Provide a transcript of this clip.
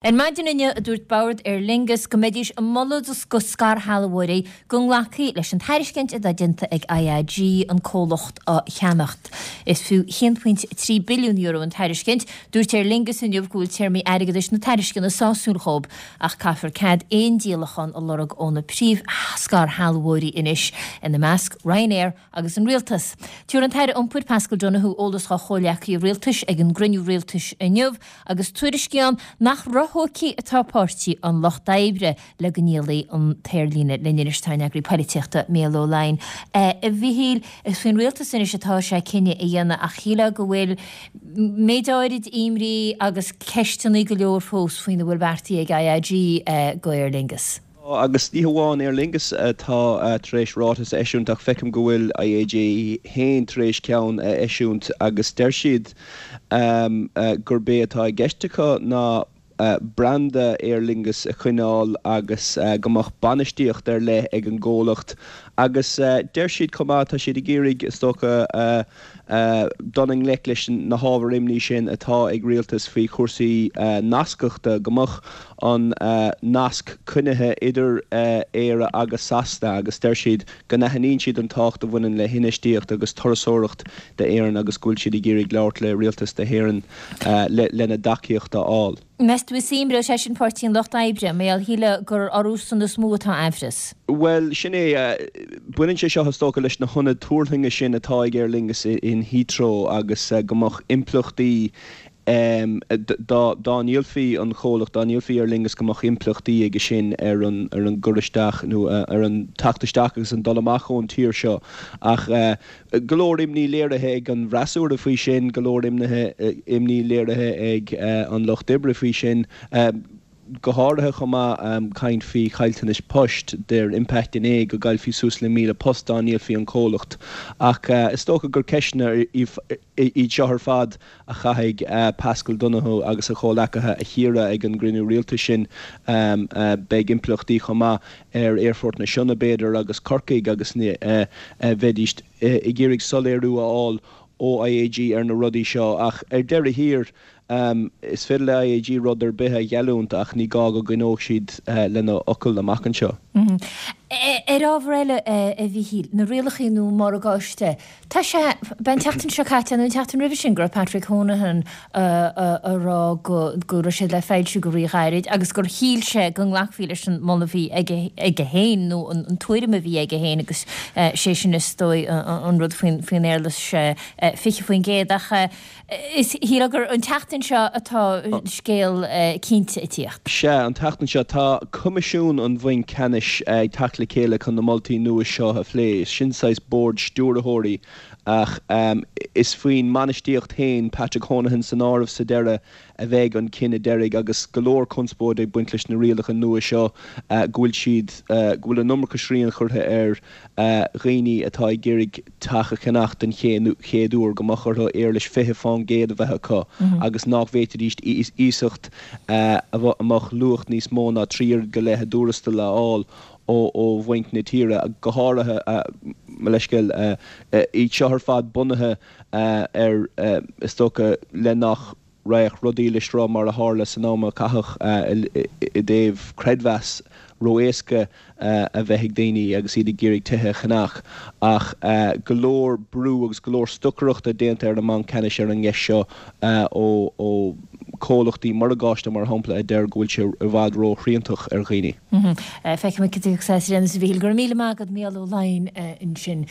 Ar maidin inniu a dúirt Bord Aer Lingus go mbeidís ag moladh do scairshealbhóirí go nglacfaí leis an tairiscint atá déanta ag IAG an comhlacht a cheannacht. Is fiú €1.3 billiún an tairiscint. Dúirt Aer Lingus inniu go bhfuil téarmaí airgeadais na tairisceana sásúil dhóibh ach caithfear cead aon díolachán a lorg ó na príomh-scairshealbhóirí anois, ina measc Ryanair agus an Rialtas. Tabharfaidh an tAire Iompair Paschal Donohoe eolas dá chomhghleacaithe rialtais ag an gcruinniú rialtais inniu agus tuairiscí ann nach róthógtha atá Páirtí an Lucht Oibre le go ndíolfaí an t-aerlíne linn anois tá ár n-eagraí polaitíochta Mícheál Ó Laighin. A Mhichíl, is faoin rialtas anois atá sé cinneadh a dhéanamh ach shílfeá go bhfuil méid áirid imní agus ceisteanna go leor fós faoina bhfuil beartaithe ag IAG go Aer Lingus. Tá, agus ní hamháin Aer Lingus atá tar éis ráiteas a eisiúint ach feicim go bhfuil IAG féin tar éis ceann a eisiúint agus deir siad gurb é atá i gceist acu ná branda Aer Lingus a choinneáil agus go mbeadh bainistíocht ar leith ag an gcomhlacht agus deir siad chomh maith, tá siad ag iarraidh is dócha dul i ngleic leis na hábhair imní sin atá ag rialtas faoi chúrsaí nascachta, go mbeadh an nasc coinnithe idir Éire agus Sasana agus deir siad go n-aithníonn siad an tábhacht a bhaineann le hinfheistíocht agus turasóireacht d'Éirinn agus go bhfuil siad ag iarraidh labhairt le rialtas na hÉireann lena dtacaíocht a fháil. Meas tú an imreoidh sé sin Páirtí an Lucht Oibre, mar gheall, shílfeá gur orthusan is mó atá aimhreas. Bhuel, sin é. Baineann sé seo, is dócha, leis na hionaid tuarthlainge sin atá ag Aer Lingus in Heathrow agus go mbeadh impleachtaí dá ndíolfaí an comhlacht, dá ndíolfaí Aer Lingus go mbeadh impleachtaí aige sin ar an gcur isteach nó ar an teacht isteach agus an dul amach ón tír seo. Ach Go leor imní léirithe ag an bhfreasúra faoi sin, go leor imní léirithe ag an Lucht Oibre faoi sin, go háirithe chomh maith caint faoi chaillteanais poist. Deir Impact NA go gcaillfí suas le 1,000 post dá ndíolfaí an comhlacht. Ach is dócha gur ceisteanna iad seo ar fad a chaithfidh Paschal Donohoe agus a chomhleacaithe a chíoradh ag an gcruinniú rialtais sin. Beidh impleachtaí chomh maith ar Aerfort na Sionna, b'fhéidir, agus Corcaigh agus bheidís ag iarraidh soiléiriú a fháil ó IAG ar na rudaí seo. Ach ar deireadh thiar, is féidir le IAG rud ar bith a gheallúint ach ní gá go gcoinneoidh siad lena bhfocal amach anseo. Ar ábhar eile, a Mhichíl, na rialacha nua morgáiste, Tá sé, b'é an tseachtain seo caite nó an tseachtain roimhe sin go raibh Patrick Honohan a rá go go raibh siad le foilsiú go ríghairid agus gur shíl sé go nglacfaí leis an moladh a bhí aige aige féin nó an tuairim a bhí aige féin agus sé sin is dóigh an rud faoin faoin éarlais 20% ach Is shílfeá gur an tseachtain seo atá scéal cinnte ag tíocht. Sea, an tseachtain seo. Tá Coimisiún an Bhainc Ceannais ag teacht le chéile chun na moltaí nua seo a phlé. Sin saghas bord stiúrthóirí ach is faoin mbainistíocht féin, Patrick Honohan san áireamh sa deireadh, a bheidh an cinneadh deiridh agus go leor conspóide ag baint leis na rialacha nua seo go bhfuil siad, go bhfuil an iomarca srian curtha ar dhaoine atá ag iarraidh teach a cheannach den chéad uair, go mbeadh orthu éarlais 20% a bheith acu agus nach bhféadfaidís iasacht a mbeadh luach níos mó ná 3 oiread go leith a dtuarastal a fháil ó bhainc na tíre, go háirithe, mo leithscéal, iad seo ar fad bunaithe ar, is dócha, le nach. raghadh rudaí le sruth mar a tharla san am a caitheadh i dtaobh creidmheas ró-éasca a bheith ag daoine agus iad ag iarraidh tithe a cheannach. Ach go leor brú agus go leor stocaireachta déanta ar an mBanc Ceannais ar an gceist seo ó chomhlachtaí morgáiste, mar shampla, a deir go bhfuil sé i bhfad ró-shriantach ar dhaoine. Feicfimid cad a thiocfas as, a Mhichíl. Go raibh míle maith agat, Mícheál Ó Laighin ansin.